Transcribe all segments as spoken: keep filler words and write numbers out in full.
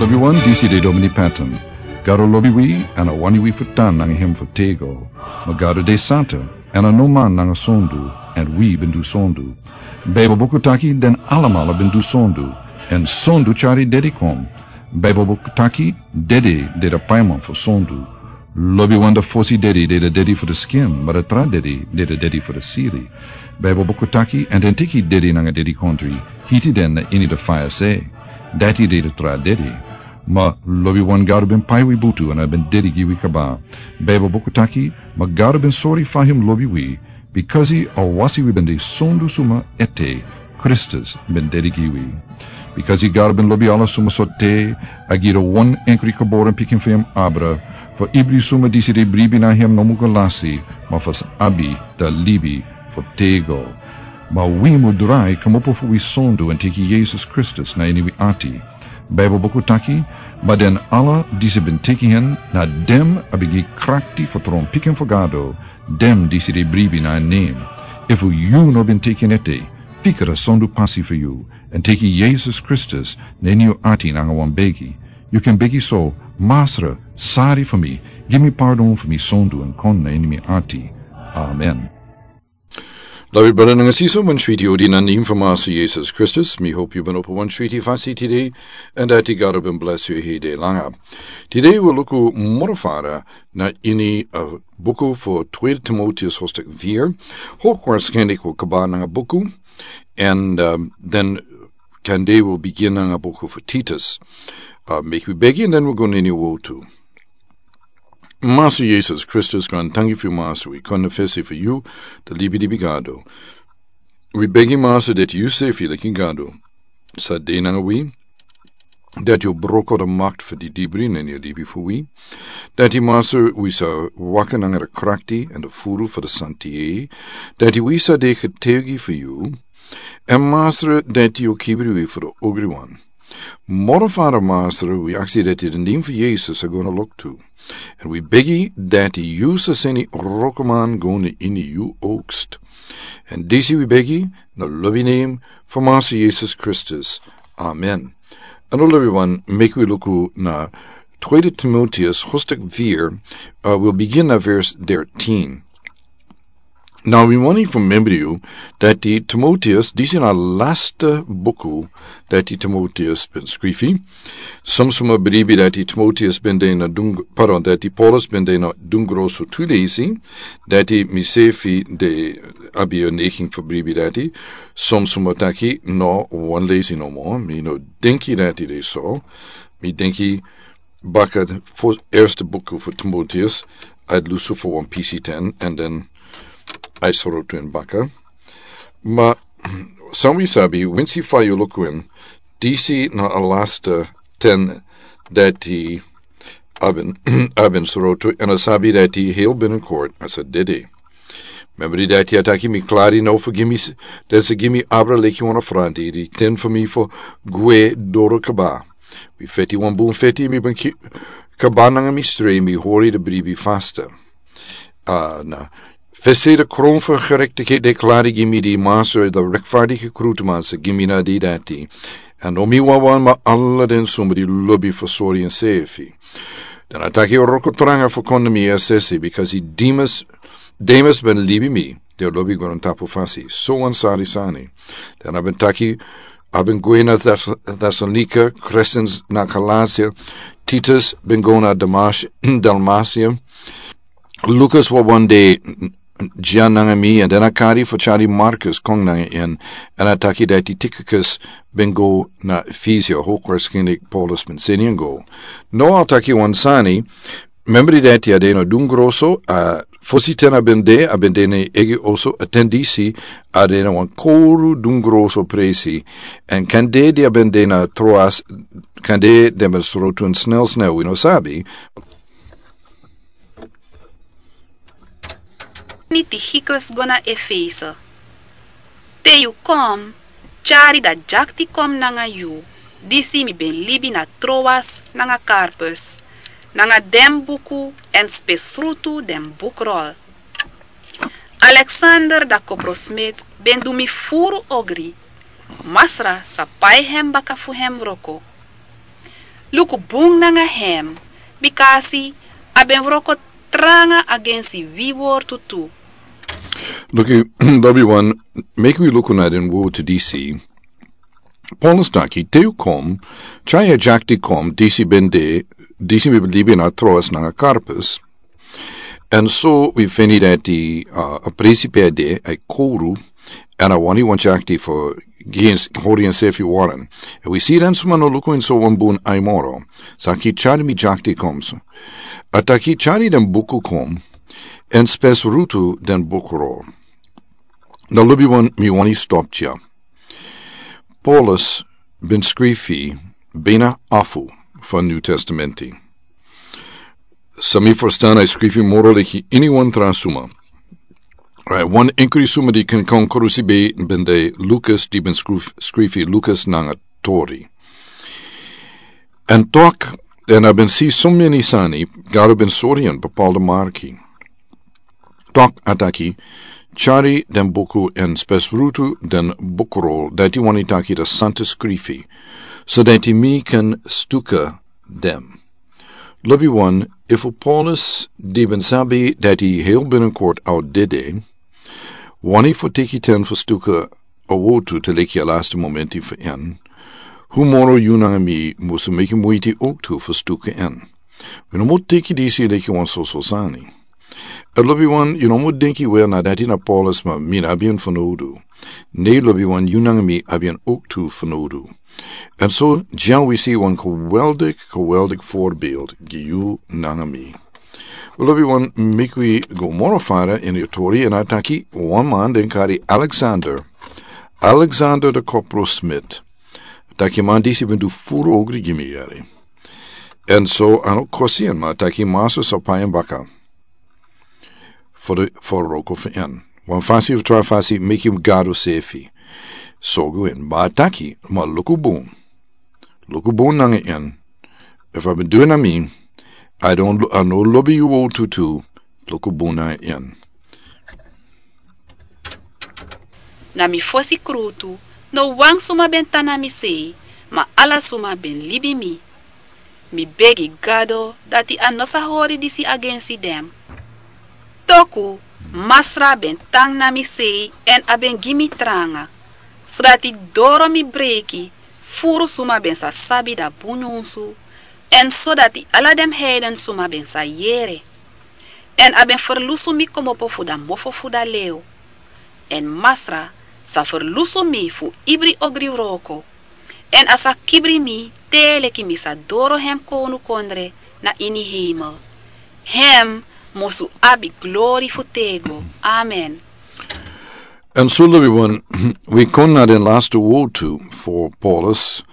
Lobiwan, disi de Domini Patton. Gado lobi wi, èn a wani wi fu tan nanga hem fu tego. Ma Gado de santa, èn a no man nanga sondu, èn wi ben du sondu. Baibel buku taki den alamala ben du sondu, èn sondu tyari dedi kon. Baibel buku taki dedi de de paiman fu sondu. Lobiwan, da fosi dedi de de dedi fu de skin, ma da tra dedi de de dedi fu de siri. Baibel buku taki, èn den teki dedi nanga dedikontri, hiti den na ini de faya se. Dati de de tra dedi. Ma lobiwan, Gado ben pai wi butu èn a ben dedi gi wi kaba. Baibel buku taki, ma Gado ben sori fa hem lobi wi, bikasi a wasi wi ben de sondu suma ete, Kristus ben dedi gi wi. Bikasi Gado ben lobi ala suma sortu, a gi de wan enkri geboren pikin fu hem abra, fu ibri suma disi de bribi na hem no mu go lasi, ma fu abi da libi fu tego. Ma wi mu drai kmopo fu wi sondu èn teki Yesus Kristus na ini wi ati. Baibel buku taki, ma den ala disi ben teki hen, na den a ben gi krakti fu tron pikin fu Gado, den disi de bribi na en nen. Efu yu no ben teki en ete, fika da sondu pasi fu yu, èn teki Yesus Kristus na ini yu ati nanga wan begi. Yu kan begi so: Masra, sari fu mi, gi mi pardon fu mi sondu èn kon na ini mi ati. Amen. Lobi brada nanga sisa, wan switi odi na nen fu Masra Yesus Kristus. Mi hopi yu ben opo wan switi fasi tide, èn dati Gado ben bless yu hede langa. Tide wi luku moro fara na ini, uh, buku fu Tweede Timoteus hoofdstuk vier. Hoogwaarschijnlijk wi kaba nanga buku, èn, um, den kande wi bigin nanga buku fu Titus. Uh, meki wi begi, èn den wi go na ini wortu. Masra Yesus Kristus, grantangi fu yu Masra, wi kon na fesi fu yu, da libi di bigado. Wi begi Masra dati yu sefi leki Gado sa de nanga wi, dati yu broko da makti fu di dibri na ini a libi fu wi. Dati Masra wi sa waka nanga da krakti èn da furu fu da santi, dati wi sa de getuigi fu yu. Èn Masra dati yu kibri wi fu da ogriwan. Moro fara Masra, wi aksi dati den nen fu Yesus a go na loktu. Èn wi begi dati yu sa seni wrokoman go na ini yu oogst. Èn disi wi begi na lobi nen fu Masra Yesus Kristus. Amen. Èn lobiwan, meki wi luku na Tweede Timoteus hoofdstuk vier, uh, wi bigin na vers dertien. Now, wi wani fu membri yu dati Timoteus, disi na lasta buku dati Timoteus ben skrifi. Som suma bribi dati Timoteus ben de na dun-, pardon, dati Paulus ben de na dungro so tu leisi, dati mi sefi de abi a neiging fu bribi dati. Som suma taki no wan leisi nomo. Mi no denki dati de so. Mi denki baka fu eerste buku fu Timoteus, a lusu fu wan pisi ten, èn den a srotu en baka. Ma san wi sabi, winsi fa yu luku en, disi na a lasta ten dati a ben, a ben srotu, èn a sabi dati heel binnenkort a sa dede. Membri dati a taki mi klari now fu gi mi s-, den sa gi mi abra leki wan afranti, di ten fu mi fu gwe doro kaba. Wi feti wan bun feti, mi ben ki-, kaba nanga mi strei, mi hori da bribi fasta. Ah, na. Fesi da kron fu gerechtigheid di klari gi mi di Masra, da rechtvaardige krutuman sa gi mi na di dati. Èn no mi wawan, ma ala den suma di lobi fu sori ensefi. Dan a taki wroko tranga fu kon na mi, a sesi, bikasi Demas, Demas ben libi mi, di lobi grontapu fasi. So wan sari sani. Dan a ben taki, a ben gwe na Thess-, Thessalonica, Crescens na Galatia, Titus ben go na Damas-, Dalmatia. Lukas wawan de dya nanga mi, èn den a kari fu tyari Markus kon nanga en, èn a taki dati Tychicus ben go na Efesia, hoogwaarschijnlijk Paulus ben seni en go. Now a taki wan sani, membri dati a de na dungro so, a fosi ten a ben de, a ben de na yu eigi oso, a ten disi a de na wan koru dungro so presi, èn kande di a ben de na Troas, kande den ben srotu en snel snel, wi no sabi. Ni Tychicus go na Efese. Te yu kon, tyari da dyakti kon nanga yu, disi mi ben libi na Troas nanga Karpus, nanga den buku èn spesrutu den bukrol. Alexander da koprosmid ben du mi furu ogri, Masra sa pai hem baka fu hem wroko. Luku bun nanga hem, bikasi a ben wroko tranga agensi wi wortu tu. Luku, lobi wan, meki wi luku na den wortu disi. Paulus taki, te yu kon, tyari a dyakti kon, disi ben de, disi mi ben libi na Troas nanga Karpus. Èn so wi feni dati, uh, a presi pe a de, a e kori, èn a wani wan dyakti fu gi en, hori ensefi wara. Èn wi si den suma no luku en so wan bun ai moro. Taki tyari mi dyakti kon so. A taki tyari den buku kon, èn spesrutu den bukrol. Now lobi wan, mi wani stop dya. Paulus ben skrifi bina afu fu New Testamenti. San mi ferstan a e skrifi moro leki iniwan tra suma. Right, wan enkri suma di ken kon krusi ben de Lukas di ben skrif-, skrifi Lukas nanga Tori. Èn tok, èn a ben si so meni sani, Gado ben sori en bepaalde marki. Tok a taki, tyari den buku èn spesrutu den bukrol, dati wani taki de Santa Skrifi, so dati mi kan stuka den. Lobi wan, efu Paulus di ben sabi dati hel bininkort a o dede, wani fu teki ten fu stuka a wortu te leki a laste momenti fu en, hu moro yu nanga mi musu meki muiti owktu fu stuka en. Wi no mu teki disi leki wan soso sani. Èn lobi wan, yu no mu denki wel na dati na Paulus ma mi no abi en fanowdu. Ne lobi wan, yu nanga mi abi en owktu fanowdu. Èn so dya wi si wan geweldik, geweldik voorbeeld gi yu nanga mi. Lobi wan, meki wi go moro fara ini a tori èn a taki wan man den kari Alexander. Alexander de Coppersmith. Taki man disi ben du furu ogri gi mi yari. Èn so a no kosi en ma taki Masra sa pai en baka. Fu de, fu wroko fu en. Wan fasi fu tra fasi meki Gado sefi. Sorgu en, ma a taki, ma luku bun. Luku bun nanga en. Efu a ben du en na mi, a don, a no lobi yu wortu tu, luku bun nanga en. Na mi fosi krutu, no wan suma ben tan na mi sei, ma ala suma ben libi mi. Mi begi Gado dati a no sa hori disi agensi den. Toku, Masra ben tan na mi sei èn a ben gi mi tranga, sodati doro mi breki, furu suma ben sa sabi da bun nyunsu, èn sodati ala den heiden suma ben sa yere. Èn a ben ferlusu mi komopo fu da mofo fu da lew. Èn Masra sa ferlusu mi fu ibri ogri wroko. Èn a sa kibri mi te leki mi sa doro hem kownukondre na ini heimel. Hem musu abi glori fu tego. Amen. Èn so lobi wan, wi kon na den laste wortu fu Paulus.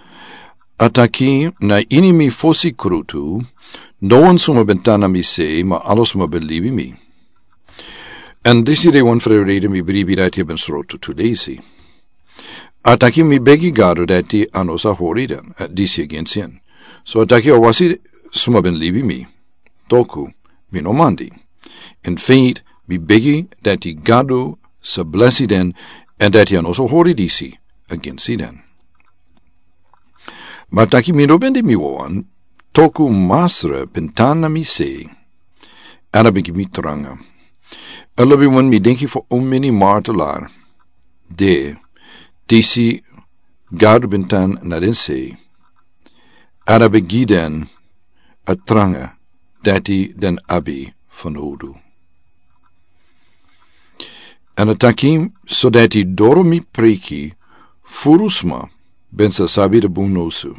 A taki na ini mi fosi krutu, no wan suma ben tan na mi sei, ma ala suma ben libi mi. Èn disi de wan fu den reden mi bribi dati a ben srotu tu desi. A taki mi begi Gado dati a no sa hori den, eh, disi agensi en. So a taki a wasi suma ben libi mi. Toku, mi no mandi. In feit, mi begi dati Gado sa blesi den, èn dati a no sa hori disi agensi den. Ma a taki mi no ben de mi wawan, toku Masra ben tan na mi sei, èn a ben gi mi tranga. Èn lobi wan mi denki fu omeni martelar, de, disi Gado ben tan na den sei, èn a ben gi den a tranga, dati den abi fanowdu. Èn a taki, sodati doro mi preki, furu sma, ben sa sabi de bun nyunsu.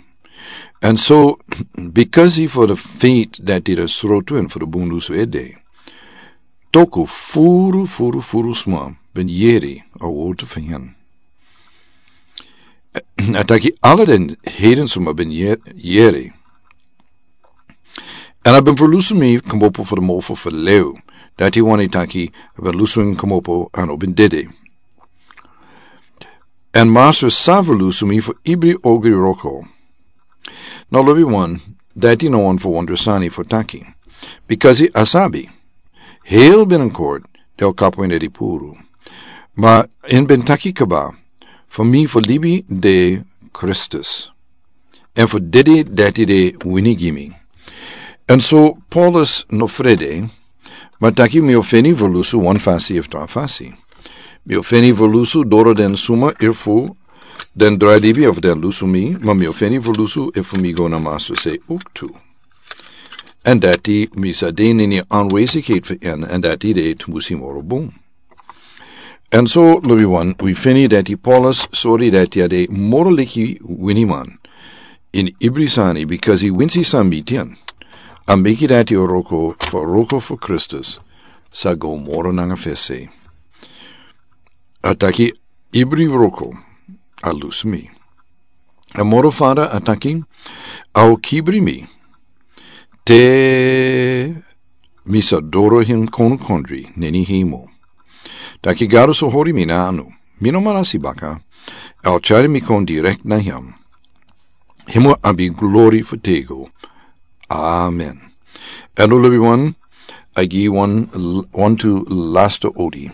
Èn so, bikasi fu de feit dati de srotu èn fu de bun nyunsu ede. Toku furu, furu, furu sma, ben yeri, a wortu fu en. A taki ala den heiden suma ben ye-, yeri. Èn a ben ferlusu mi komopo fu de mofo fu lew. Dati wani taki, a ben lusu en komopo èn a ben dede. Èn Masra sa ferlusu mi fu ibri ogri wroko. Now lobi wan, dati no wan fu wonder sani fu taki. Bikasi a sabi. Hel bininkort, den o kapu en ede puru. Ma en ben taki kaba, fu mi fu libi de Kristus. èn fu dede dati de wini gi mi. Èn so Paulus no frede, ma taki mi o feni fu lusu wan fasi efu tra fasi. Mi o feni fu lusu doro den suma efu den drai libi efu den lusu mi, ma mi o feni fu lusu efu mi go na Master se owktu. Èn dati mi sa de na ini anwesigheid fu en, èn dati de tumbusi moro bun. Èn so, lobiwan, wi feni dati Paulus sori dati a de moro leki winiman ini ibri sani, bikasi winsi san miti en, a meki dati wroko fu, wroko fu Kristus sa go moro nanga fesi. A taki ibri wroko a lusu mi. A moro fada a taki a o kibri mi te mi sa doro ini kondre na ini hemel. Taki Gado sa hori mi na anu, mi no man lasi baka, a o tyari mi kon direkt na hem. Hem o abi glori fu tego. Amen. Èn lobiwan, a gi wan, wan tu lasta odi.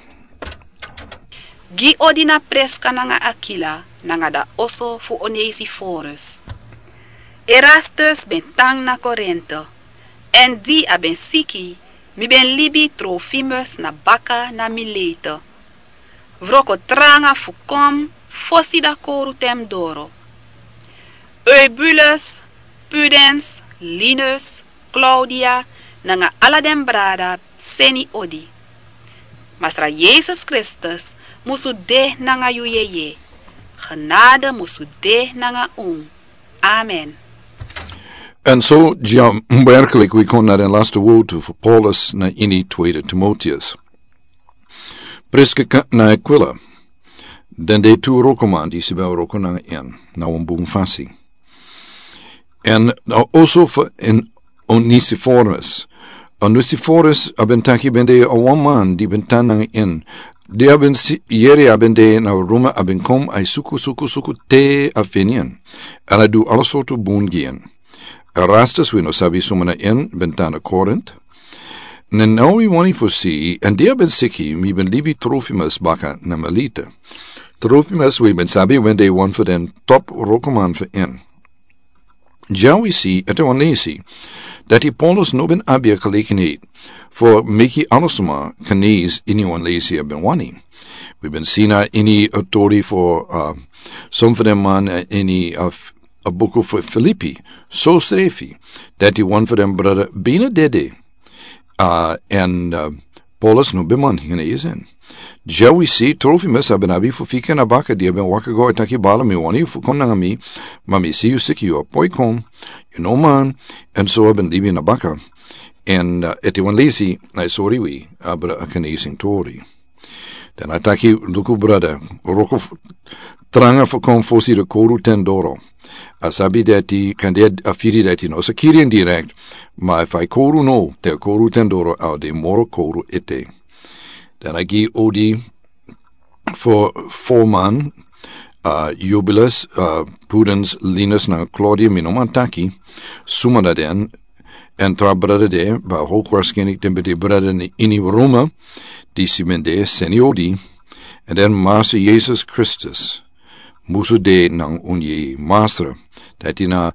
Gi odi na Priska nanga Akila, nanga da oso fu Onesiforus. Erastus ben tan na Korinte, èn di a ben siki, mi ben libi Trofimus na baka na Milete. Wroko tranga fu kon fosi da kowru ten doro. Eubulus, Pudens, Linus, Klaudia, nanga ala den brada seni odi. Masra Yesus Kristus musu de nanga yu yeye. Genade musu de nanga un. Amen. Èn so, ja, werkelijk, wi kon na den laste wowtu fu Paulus na ini Tweede Timoteus. Priska nanga Akwila, den de tu wrokoman disi ben wroko nanga en na wan bun fasi. Èn, uh, also fu Onesiforus. Onesiforus a ben taki ben de a wan man di ben tan nanga en. Di a ben si, yere a ben de na Roma a ben kon a e suku, suku, suku te a feni en. Èn a du ala sortu bun gi en. Erastus, wi no sabi suma na en, ben tan na Korint. Now wi wani fu si, èn di a ben siki, mi ben libi Trofimus baka na Milete. Trofimus, wi ben sabi, ben de wan fu den top wrokoman fu en. Ja wi si, ete wan lesi, dati Paulus no ben abi a gelegenheid fu meki ala suma genees ini wan lesi a ben wani. Wi ben si na ini a tori fu, uh, son fu den man, uh, ini, uh, a buku fu Filipi, so srefi, dati wan fu den brada bina dede, uh, èn, uh, Paulus no ben man genees en. Ja wi si Trofimus a ben abi fu fika na baka di a ben waka go a taki, bala, mi wani fu kon nanga mi, ma mi si yu siki, yu a poi kon, yu no man, èn so a ben libi na baka. Èn, uh, ete wan lesi, a e sori wi abra a genezing tori. Dan a taki, luku brada, wroko f-, tranga fu kon fosi da kowru ten doro. A sabi dati kande a firi dati no sa kiri en direkt, ma efu a e kowru now, te a kowru ten doro a o de moro kowru ete. Dan a gi odi fu fo man, uh, Eubulus, uh, Pudens, Linus nanga Klaudia, mi no man taki suma na den, èn tra brada de, ma hoogwaarschijnlijk den ben de brada ini Roma, disi ben de seni odi, èn den Masra Yesus Kristus musu de nanga un yeye. Masra, dati na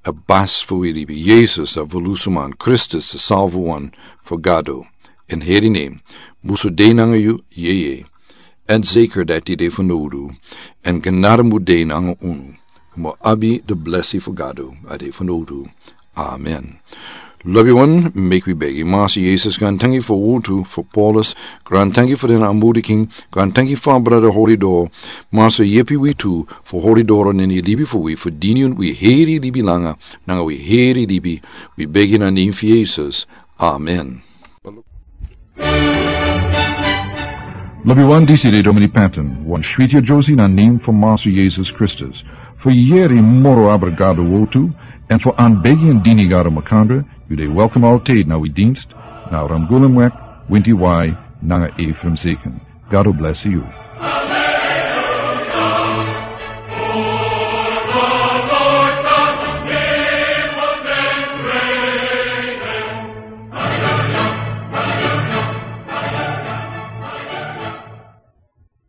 a basi fu wi libi, Yesus, a volusuman, Kristus, a salvuwan fu Gado. Èn heri en, musu de nanga yu yeye. Èn zeker dati de fanowdu. Èn genade mu de nanga unu. Un mu abi de blesi fu Gado a de fanowdu. Amen. Lobiwan, meki wi begi. Masra Yesus, grantangi fu a wowtu fu Paulus. Grantangi fu den aanmoediging. Grantangi fu a brada hori doro. Masra, yepi wi tu fu hori doro na ini libi fu wi, fu dini wi heri libi langa, nanga wi heri libi. Wi begi na nen fu Yesus. Amen. Lobiwan, disi de Domini Patton, wan switi yeyesrefi na nen fu Masra Yesus Kristus. Fu yere moro abra Gado wowtu, èn fu aanbegi èn dini Gado makandra, yu de welkom altijd na wi dienst, na Ramgulumweg, Winti Wai, nanga Ephraim Zeken. Gado blesi yu.